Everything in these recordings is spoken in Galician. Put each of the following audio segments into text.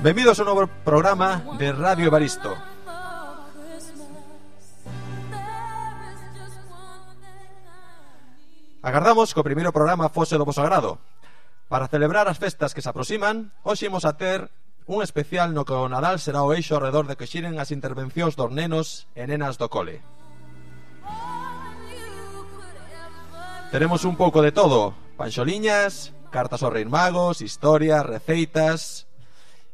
Benvidos a un novo programa de Radio Evaristo. Agardamos que o primeiro programa fose do voso agrado. Para celebrar as festas que se aproximan, hoxe imos a ter un especial no que o Nadal será o eixo ao redor de que xiren as intervencións dos nenos e nenas do cole. Teremos un pouco de todo: panxoliñas, cartas aos Reis Magos, historias, receitas.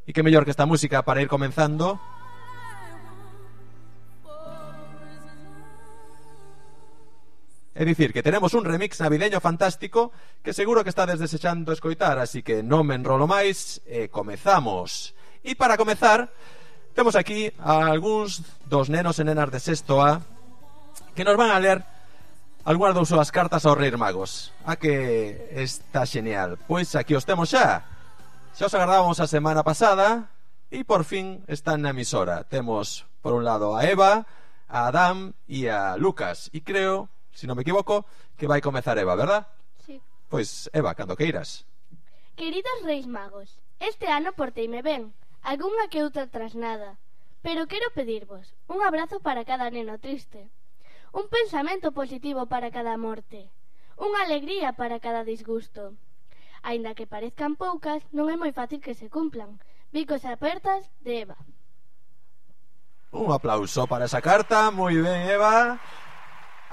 E que mellor que esta música para ir comenzando. É dicir, que tenemos un remix navideño fantástico que seguro que estades desexando escoitar, así que non me enrolo máis e comezamos. E para comezar, temos aquí a algúns dos nenos e nenas de sexto A que nos van a ler algunhas das súas cartas aos Reis Magos. A que está genial. Pois aquí os temos xa. Xa os agardábamos a semana pasada e por fin están na emisora. Temos por un lado a Eva, a Adam e a Lucas. E creo, se non me equivoco, que vai comezar Eva, verdad? Sí. Pois Eva, cando queiras. Queridos Reis Magos, este ano porteime ben, algunha que outra trasnada, pero quero pedirvos un abrazo para cada neno triste, un pensamento positivo para cada morte, unha alegría para cada disgusto. Aínda que parezcan poucas, non é moi fácil que se cumplan. Bicos apertas de Eva. Un aplauso para esa carta, moi ben, Eva.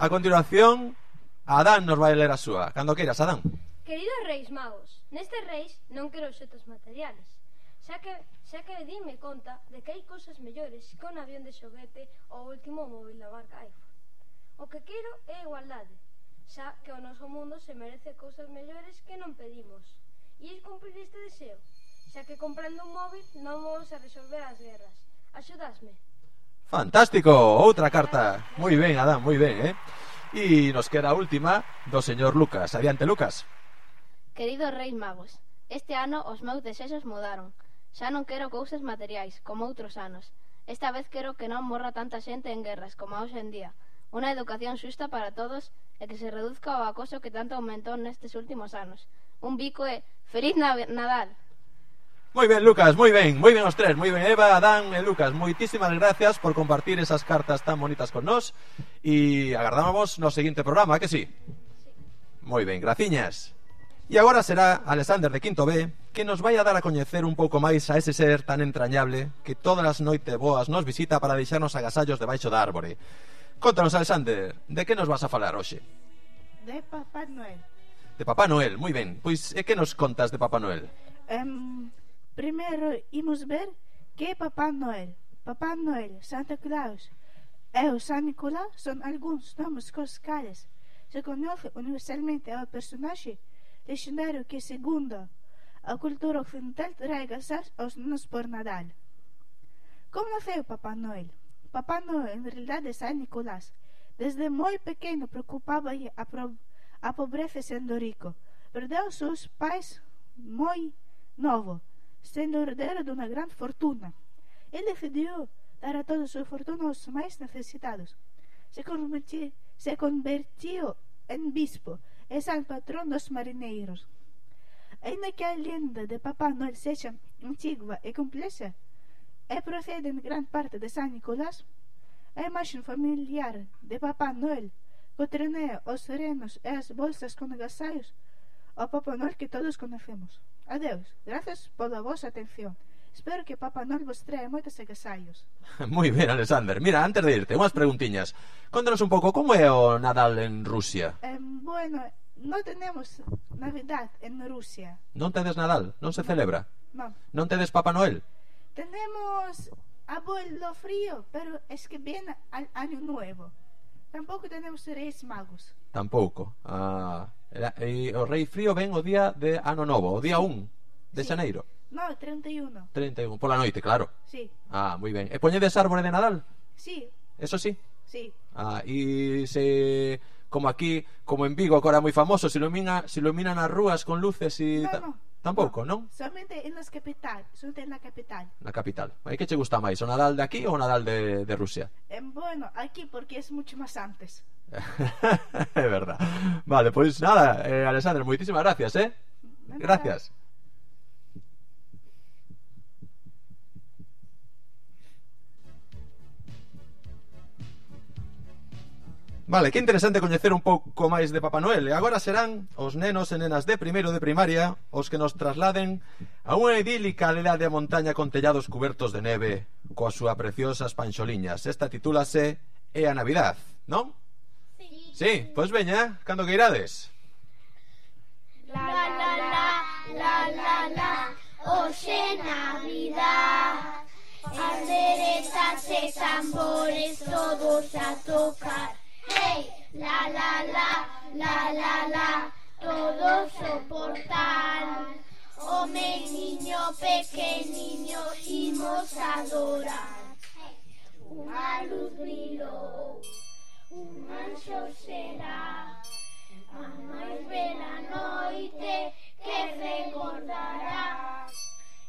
A continuación, Adán nos vai ler a súa. Cando queiras, Adán. Queridos Reis Magos, nestes reis non quero obxetos materiales, xa que dime conta de que hai cousas mellores que un avión de xoguete ou o último móvil da marca iPhone. O que quero é igualdade, xa que o noso mundo se merece cousas mellores que non pedimos. E é cumprir este deseo, xa que comprando un móvil non vamos a resolver as guerras. Axudasme. Fantástico, outra carta. Moi ben, Adán, moi ben, E nos queda a última do señor Lucas. Adiante, Lucas. Queridos Reis Magos, este ano os meus desexos mudaron. Xa non quero cousas materiais, como outros anos. Esta vez quero que non morra tanta xente en guerras como hoxe en día. Unha educación xusta para todos e que se reduzca o acoso que tanto aumentou nestes últimos anos. Un bico e Feliz Nadal. Moi ben, Lucas, moi ben os tres, moi ben Eva, Adán e Lucas. Moitísimas gracias por compartir esas cartas tan bonitas con nós e agardámonos no seguinte programa, que sí? Moi ben, graciñas. E agora será Alexander de Quinto B que nos vai a dar a coñecer un pouco máis a ese ser tan entrañable que todas as noites boas nos visita para deixarnos agasallos debaixo da árbore. Contanos, Alexander, de que nos vas a falar hoxe? De Papá Noel. De Papá Noel, moi ben. Pois, e que nos contas de Papá Noel? Primeiro imos ver que é Papá Noel. Papá Noel, Santa Claus e o San Nicolás son algúns nomes cos cales se conoce universalmente ao personaxe lexendario que, segundo a cultura occidental, trae agasallos aos nenos por Nadal. Como naceu Papá Noel? Papá Noel, en realidade, é San Nicolás. Desde moi pequeno preocupaba a pobreza sendo rico. Perdeu os seus pais moi novo, sendo herdeiro de unha gran fortuna. Ele decidiu dar a toda a súa fortuna aos máis necesitados. Se convertiu en bispo e san patrón dos marineiros. Ainda que a lenda de Papá Noel sexa antigua e complexa, e procede en gran parte de San Nicolás, a imaxe familiar de Papá Noel, co trineo, os renos e as bolsas con agasallos, o Papá Noel que todos conocemos. Adeus, gracias pola vosa atención. Espero que Papá Noel vos trae moitos agasallos. Moi ben, Alexander. Mira, antes de irte, unhas preguntiñas. Contanos un pouco como é o Nadal en Rusia. Bueno, non tenemos Navidad en Rusia. Non tedes Nadal? Non se celebra? Non. Non tedes Papá Noel? Tenemos abuelo frío, pero es que viene al año nuevo. Tampouco tenemos Reis Magos. Tampouco. E o Rei Frío ven o día de Ano Novo, o día 1 de xaneiro. No, 31. 31, pola noite, claro. Sí. Moi ben. E poñedes árbore de Nadal? Sí. Eso sí? Sí. E se, como aquí, como en Vigo, agora moi famoso, se iluminan as rúas con luces e... No. Tampouco, non? Solamente en la capital. Na capital. E que che gusta máis, o Nadal de aquí ou o Nadal de Rusia? Bueno, aquí porque es mucho más antes. É verdad. Vale, pois nada, Alexander, moitísimas gracias, Gracias. Vale, que interesante coñecer un pouco máis de Papá Noel. E agora serán os nenos e nenas de primeiro de primaria os que nos trasladen a unha idílica aldea de montaña con tellados cubertos de neve coas súas preciosas panxoliñas. Esta titúlase É a Navidad, non? Sí, pois veña, cando que irades? La la la, la la la, hoxe Navidad. Panderetas e tambores todos a tocar. Hey, la la la, la la la, todos o portal. O meniño pequeniño imos adorar. Unha luz brilou, un anxo será. A máis bela noite que recordará.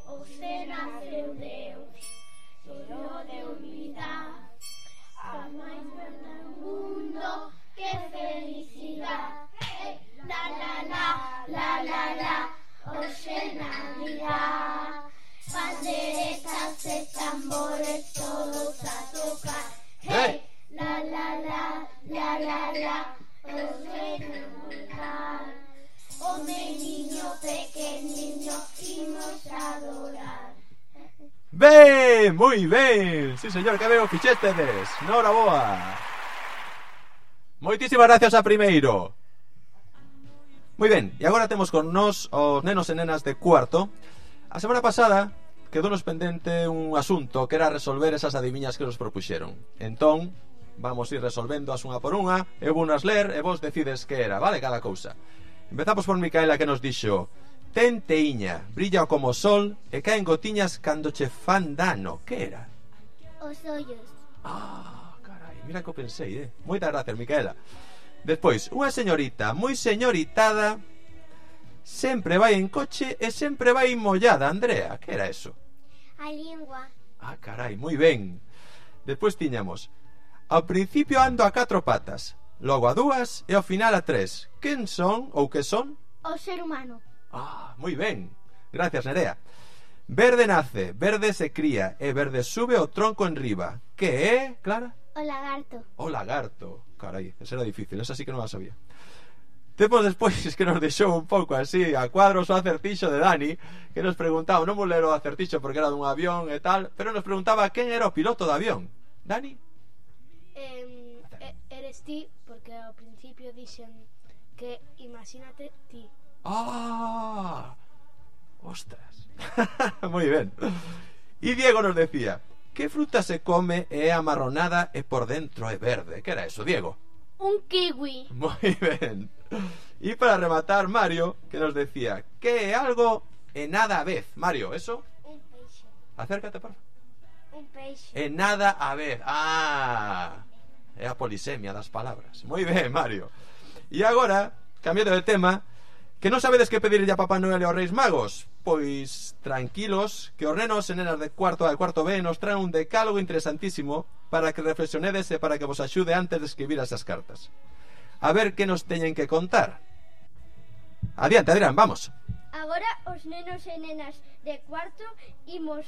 Hoxe naceu Deus, Fillo de unidade. A máis bela do mundo, que felicidade. La la la, la la la, hoxe Navidad. Panderetas e tambores todos a tocar. Hey! La la la, la la la, hoxe Navidad. O meniño pequeniño imos adorar. Ben, moi ben. Sí, señor, que veo fixéstedes. Nora boa. Moitísimas gracias a primeiro. Moi ben, e agora temos con nós os nenos e nenas de cuarto. A semana pasada quedounos pendente un asunto que era resolver esas adiviñas que nos propuxeron. Entón, vamos ir resolvendo as unha por unha. Eu vou nas ler e vos decides que era, vale, cada cousa. Empezamos por Micaela, que nos dixo: ten teíña, brilla como o sol e caen gotiñas cando che fan dano. Que era? Os ollos. Ah, carai, mira que o pensei, Moitas gracias, Micaela. Despois, unha señorita moi señoritada sempre vai en coche e sempre vai mollada. Andrea, que era eso? A lingua. Ah, carai, moi ben. Despois tiñamos: ao principio ando a 4 patas, logo a 2 e ao final a 3. Quen son ou que son? O ser humano. Ah, moi ben. Gracias, Nerea. Verde nace, verde se cría e verde sube o tronco en riba. Que é, Clara? O lagarto. O lagarto. Carai, esa era difícil, esa sí que non a sabía. Temos despois que nos deixou un pouco así a cuadros o acertixo de Dani, que nos preguntaba, non vou ler o acertixo porque era dun avión e tal, pero nos preguntaba quen era o piloto do avión. Dani? Eres ti, porque ao principio dixen que imagínate ti. ¡Ah! ¡Ostras! Moi ben. E Diego nos decía: que fruta se come e é amarronada e por dentro é verde? Que era eso, Diego? Un kiwi. Moi ben. E para rematar, Mario, que nos decía: que é algo e nada a vez? Mario, ¿eso? Un peixe. Acércate, por favor. Un peixe. E nada a vez. Ah, é a polisemia das palabras. Moi ben, Mario. E agora, cambiando de tema, que non sabedes que pedirlle a Papá Noel e aos Reis Magos? Pois tranquilos, que os nenos e nenas de cuarto A e cuarto B nos traen un decálogo interesantísimo para que reflexionedes e para que vos axude antes de escribir esas cartas. A ver que nos teñen que contar. Adiante, Adrián, vamos. Agora os nenos e nenas de cuarto imos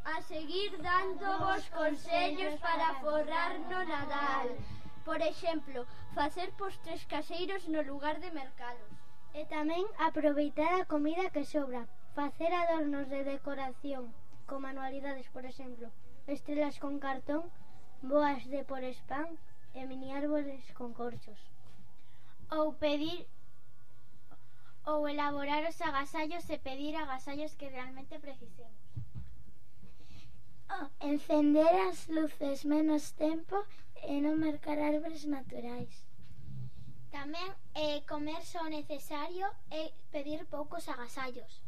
a seguir dando vos consellos para forrar no Nadal. Por exemplo, facer postres caseiros no lugar de mercados. E tamén aproveitar a comida que sobra. Facer adornos de decoración, con manualidades, por exemplo, estrelas con cartón, boas de por spam e mini árboles con corchos. Ou elaborar os agasallos e pedir agasallos que realmente precisemos. Encender as luces menos tempo e non mercar árbores naturais. Tamén comer só necesario e pedir poucos agasallos.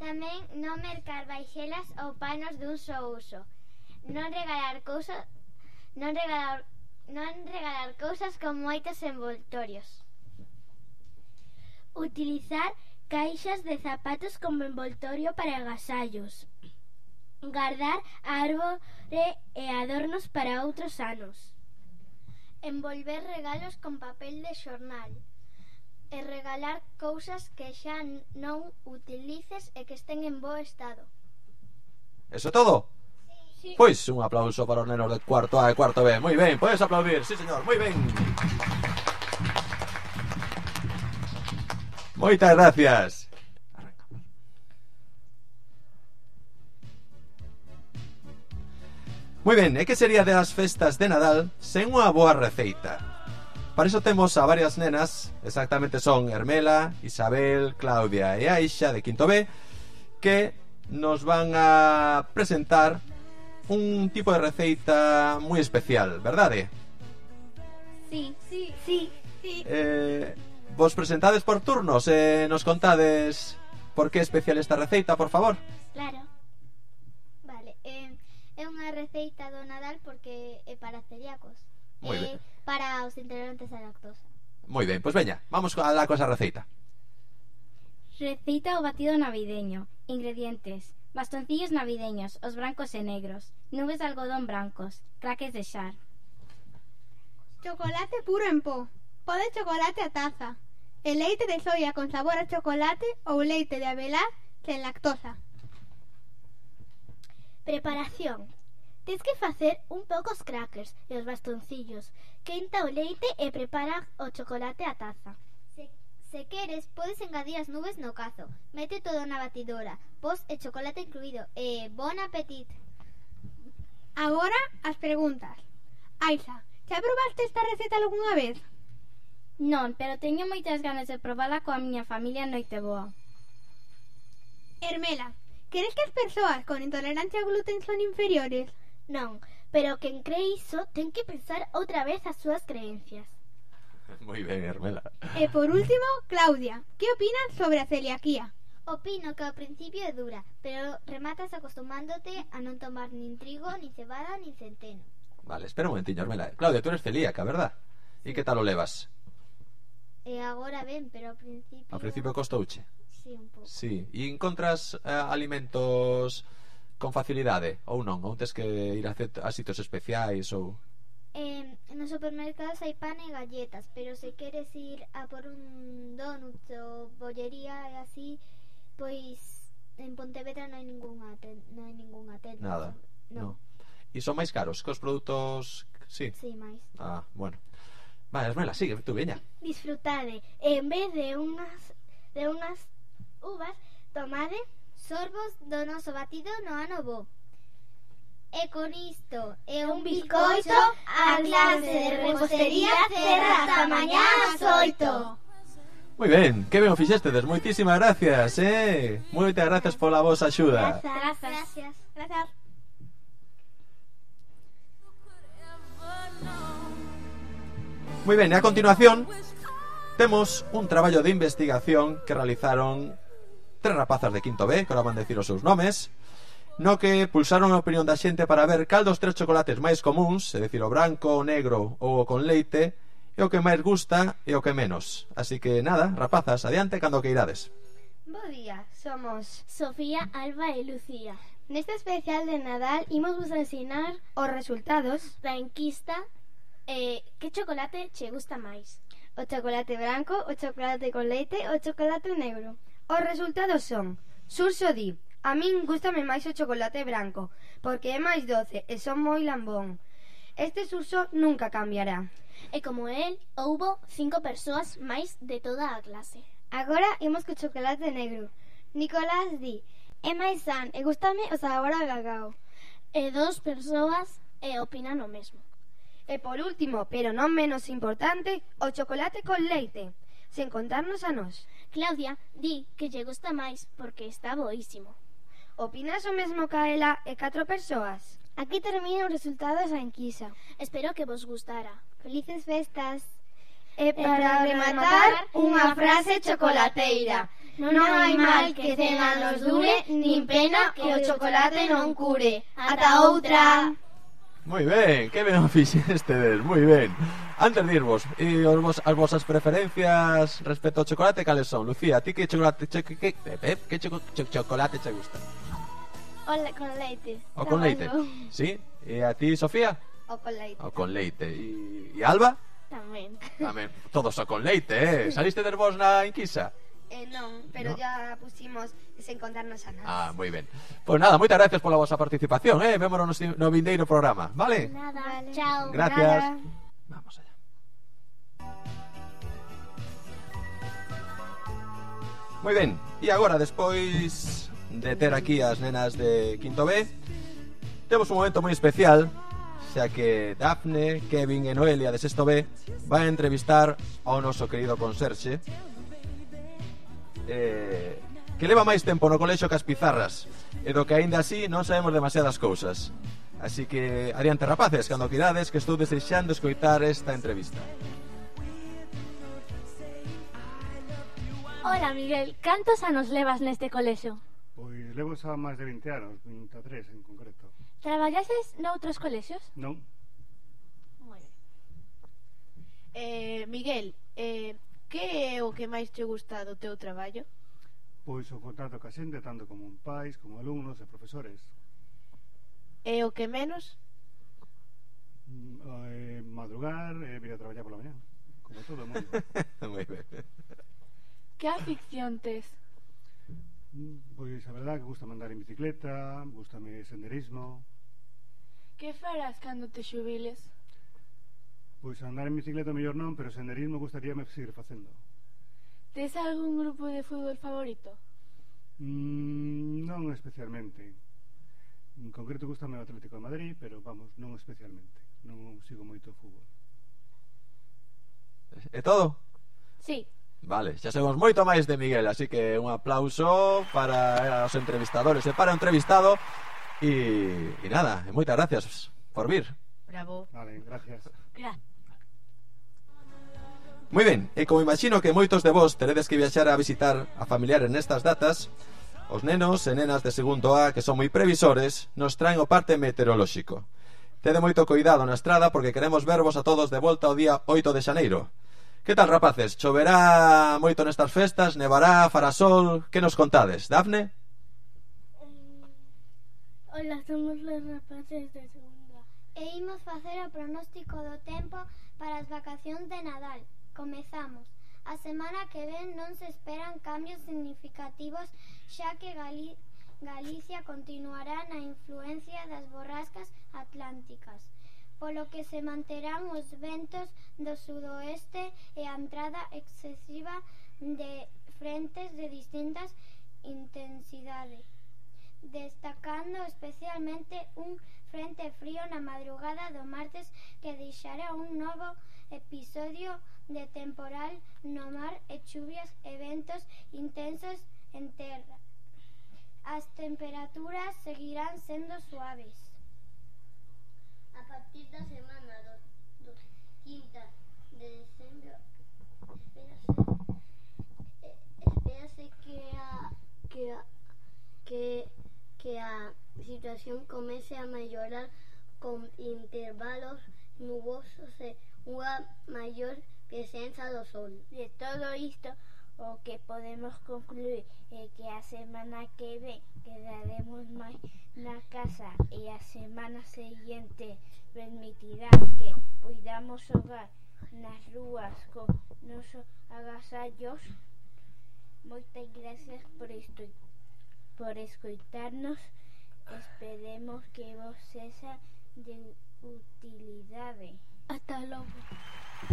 Tamén non mercar vaixelas ou panos dun só uso. Non regalar cousas con moitos envoltorios. Utilizar caixas de zapatos como envoltorio para agasallos. Guardar árbore e adornos para outros anos. Envolver regalos con papel de xornal. E regalar cousas que xa non utilices e que estén en bo estado. ¿Eso todo? Sí. Pois un aplauso para os nenos de cuarto A e cuarto B. Moi ben, podes aplaudir, sí señor, moi ben. Moitas gracias. Moi ben, e que sería das festas de Nadal sen unha boa receita? Para iso temos a varias nenas, exactamente son Hermela, Isabel, Claudia e Aixa de quinto B, que nos van a presentar un tipo de receita moi especial, verdade? Sí. Vos presentades por turnos e nos contades por que é especial esta receita, por favor. Claro. Vale, é unha receita do Nadal porque é para celíacos. Moi ben. Para os intolerantes á lactosa. Moi ben, pois veña, vamos a la cosa receita. Receta o batido navideño. Ingredientes: bastoncillos navideños, os brancos e negros, nubes de algodón brancos, craques de xar. Chocolate puro en pó. Pó de chocolate a taza. El leite de soia con sabor a chocolate ou leite de avelar sen lactosa. Preparación. Tens que facer un poucos crackers e os bastoncillos. Quenta o leite e prepara o chocolate a taza. Se queres, podes engadir as nubes no cazo. Mete todo na batidora, pos e chocolate incluído. E bon apetito. Agora as preguntas. Aixa, xa probaste esta receta algunha vez? Non, pero teño moitas ganas de probala coa miña familia Noiteboa. Hermela, queres que as persoas con intolerancia ao gluten son inferiores? Non, pero quen cree iso ten que pensar outra vez as súas creencias. Moi ben, Hermela. E por último, Claudia, que opinas sobre a celiaquía? Opino que ao principio é dura, pero rematas acostumándote a non tomar nin trigo, nin cebada, nin centeno. Vale, espera un momentiño, Hermela. Claudia, tú eres celíaca, verdad? E que tal o levas? E agora ben, pero ao principio... Ao principio costouche? Sí, un pouco. Sí. E encontras alimentos con facilidade ou non? Ou tes que ir a sitios especiais ou... Nos supermercados hai pan e galletas, pero se queres ir a por un donut ou bollería e así, pois en Pontevedra non hai ningunha tenda. Nada. Non. E son máis caros que os produtos... Sí. Sí, máis. Ah, bueno. Vale, Hermela, sigue, tú veña. Disfrutade. En vez de unhas uvas, tomade Sorbos do noso batido no ano bo. E con isto e un bizcoito, a clase de repostería cerra ata mañá ás 8. Moi ben, que ben o fixestedes, moitísimas gracias, moitas gracias pola vosa axuda. Gracias. Moi ben, e a continuación temos un traballo de investigación que realizaron 3 rapazas de quinto B, que ahora van decir os seus nomes, no que pulsaron a opinión da xente para ver cal dos 3 chocolates máis comuns, é dicir, o branco, o negro ou o con leite, é o que máis gusta e o que menos. Así que nada, rapazas, adiante cando que irades. Bo día, somos Sofía, Alba e Lucía. Neste especial de Nadal imos vos ensinar os resultados Da enquista, que chocolate che gusta máis? o chocolate branco, o chocolate con leite e o chocolate negro. Os resultados son: Surso di: a min gústame máis o chocolate branco porque é máis doce e son moi lambón. Este Surso nunca cambiará. E como el, houbo 5 persoas máis de toda a clase. Agora imos co chocolate negro. Nicolás di: é máis san e gústame o sabor a cacao. E 2 persoas opinan o mesmo. E por último, pero non menos importante, o chocolate con leite, sen contarnos a nós. Claudia di que lle gusta máis porque está boísimo. Opinas o mesmo ca ela e 4 persoas? Aquí terminan os resultados da enquisa. Espero que vos gustara. Felices festas. E para rematar, unha frase chocolateira: non hai mal que 100 anos dure, nin pena que o chocolate non cure. Ata outra. Moi ben, que ben o fixestedes, moi ben. Antes de irvos, e as vosas preferencias respecto ao chocolate, cales son? Lucía, a ti que chocolate chocolate che gusta? Con leite. O con leite? Sí? E a ti, Sofía? O con leite. O con leite. E Alba? Tamén. Tamén, todos o con leite, Saliste de vos na enquisa? Non, pero No. ya pusimos sen contarnos a nada. Moi ben. Pois nada, moitas gracias pola vosa participación, vémonos no vindeiro programa, vale? Nada, Vale. chao. Gracias. Vamos allá. Moi ben, e agora, despois de ter aquí as nenas de quinto B, temos un momento moi especial, xa que Dafne, Kevin e Noelia de sexto B van a entrevistar ao noso querido conserxe, que leva máis tempo no colexo que as pizarras, e do que aínda así non sabemos demasiadas cousas. Así que adiante, rapaces, cando quirades, que estou desexando escoitar esta entrevista. Hola, Miguel, cantos anos levas neste colexo? Pois levo xa máis de 20 anos, 23 en concreto. Traballases noutros colexos? Non? Moi ben. Miguel, que é o que máis te gusta do teu traballo? Pois o contacto ca xente, tanto como pais, como alumnos e profesores. E o que menos? Madrugar e vir a traballar pola mañá, como todo o mundo. Moi ben. Que afición tes? Pois a verdade que gusta andar en bicicleta, gustame senderismo. Que farás cando te xubiles? Pois andar en bicicleta mellor non, pero senderismo gustaríame seguir facendo. Tes algún grupo de fútbol favorito? Non especialmente. En concreto gustame o Atlético de Madrid, pero vamos, non especialmente. Non sigo moito o fútbol. É todo? Sí. Vale, xa sabemos moito máis de Miguel, así que un aplauso para os entrevistadores e para o entrevistado. E nada, moitas gracias por vir. Bravo. Vale, gracias. Moi ben, e como imagino que moitos de vos teredes que viaxar a visitar a familiares nestas datas, os nenos e nenas de segundo A, que son moi previsores, nos traen o parte meteorolóxico. Tede moito cuidado na estrada porque queremos vervos a todos de volta o día 8 de xaneiro. Que tal, rapaces? Choverá moito nestas festas? Nevará? Fará sol? Que nos contades? Dafne? Hola, somos los rapaces de segunda. E imos facer o pronóstico do tempo para as vacacións de Nadal. Comezamos. A semana que ven non se esperan cambios significativos, xa que Galicia continuará na influencia das borrascas atlánticas, polo que se manterán os ventos do sudoeste e a entrada excesiva de frentes de distintas intensidades, destacando especialmente un frente frío na madrugada do martes que deixará un novo episodio de temporal no mar e chuvias e ventos intensos en terra. As temperaturas seguirán sendo suaves. A partir da semana do 15 de decembro espérase que a situación comece a mellorar con intervalos nubosos e unha maior presenza do sol. De todo isto, o que podemos concluir é que a semana que ven quedaremos máis na casa e a semana seguinte permitirá que poidamos xogar nas rúas con nosos agasallos. Moitas gracias por escoitarnos. Esperemos que vos sexa de utilidade. Hasta logo.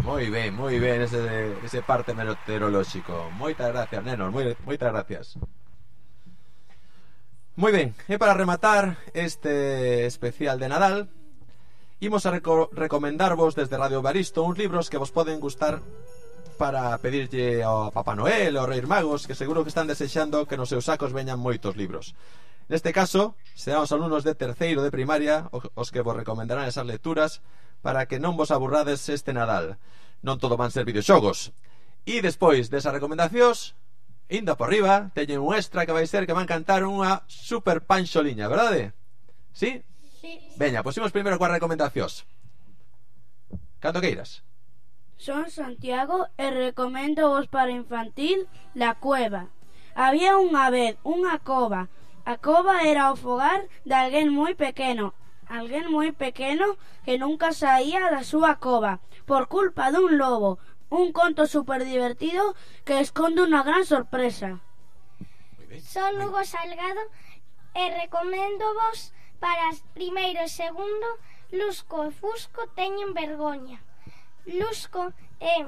Moi ben ese parte meteorolóxico. Moitas gracias, nenos, moitas gracias. Moi ben, e para rematar este especial de Nadal, imos a recomendarvos desde Radio Baristo uns libros que vos poden gustar para pedirlle ao Papá Noel ou Reis Magos, que seguro que están desexando que nos seus sacos veñan moitos libros. Neste caso, serán os alumnos de terceiro de primaria os que vos recomendarán esas lecturas para que non vos aburrades este Nadal. Non todo van ser videoxogos. E despois desas recomendacións, indo por riba, teñen un extra que vai ser que van cantar unha super panxoliña, verdade? Sí? Sí. Veña, pois imos primeiro coas recomendacións. Cando queiras. Son Santiago e recomendo vos para infantil La Cueva. Había unha vez unha cova. A cova era o fogar de alguén moi pequeno que nunca saía da súa cova por culpa dun lobo. un conto super divertido que esconde una gran sorpresa. Son Hugo Salgado e recomendo vos para primeiro e segundo Lusco e Fusco teñen vergoña. Lusco é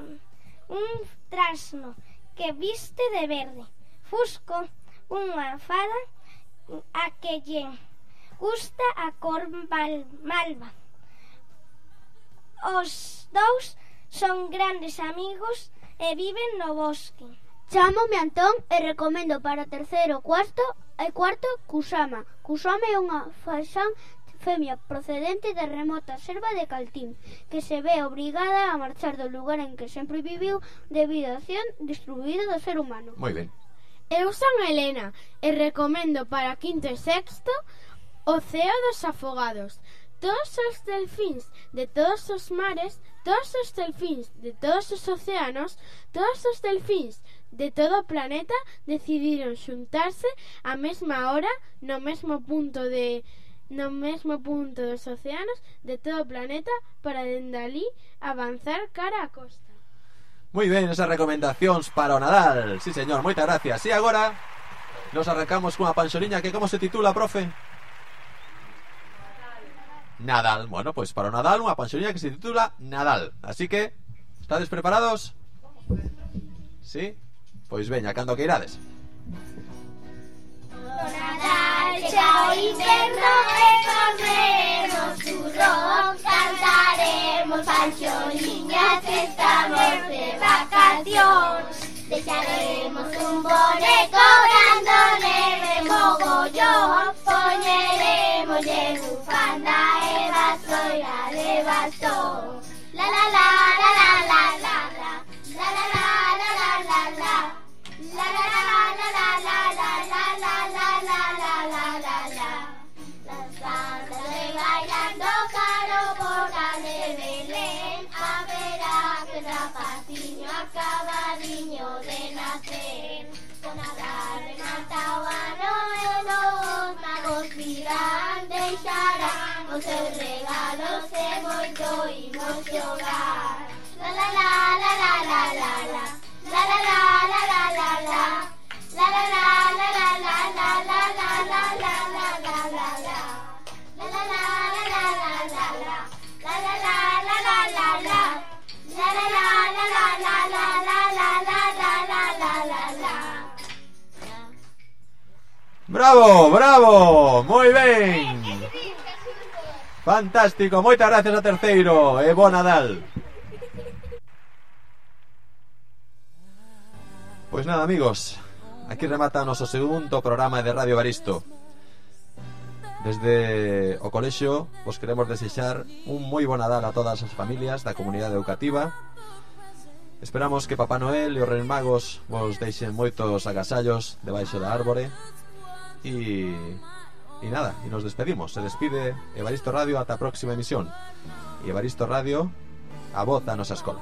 un trasno que viste de verde. Fusco, unha fada a que lle gusta a cor malva. Os dous son grandes amigos e viven no bosque. Chámome Antón e recomendo para terceiro e cuarto Kusama. Kusama é unha faxán femia procedente da remota selva de Caltín, que se ve obrigada a marchar do lugar en que sempre viviu debido á acción destruída do ser humano. Moi ben. Eu son Elena e recomendo para quinto e sexto O Ceo dos Afogados. Todos os delfíns de todos os mares, todos os delfíns de todos os océanos, todos os delfíns de todo o planeta decidiron xuntarse á mesma hora no mesmo punto dos océanos de todo o planeta para dende alí avanzar cara á costa. Moi ben, esas recomendacións para o Nadal. Sí, señor, moitas gracias. E agora nos arrancamos cunha panxoliña que como se titula, profe? Nadal. Bueno, pois para o Nadal unha panxoliña que se titula Nadal. Así que, estades preparados? Sí? Pois veña, cando que irades. Nadal chao inverno e comeremos turrón, cantaremos panxoliñas que estamos de vacacións. Deixaremos un boneco grande neve mogollón, poñeremoslle bufanda e vasoira de bastón. La la la la la la la la, la la la la la la la, la la la la la la la la la la la la la la la. Las bandas de bailando caro por la de Belén, a verá que rapaciño acabadiño de nacer. Con Nadal rematao a Noel, os magos virán, deixarán os seus regalos e moito imos xogar. La la la la la la la la, la la la la la la la, la la la la la la la la la la la la la la la, la la la la la la la la, la la la la la la la, la la la la la la la la la la la la la la. Bravo, bravo, moi ben. Fantástico, moitas gracias a terceiro e bo Nadal. Pois nada, amigos, aquí remata o noso segundo programa de Radio Evaristo. Desde o colexio vos queremos desexar un moi bo Nadal a todas as familias da comunidade educativa. Esperamos que Papá Noel e os Reis Magos vos deixen moitos agasallos debaixo da árbore. E nada, e nos despedimos. Se despide Evaristo Radio ata a próxima emisión. E Evaristo Radio, a voz da nosa escola.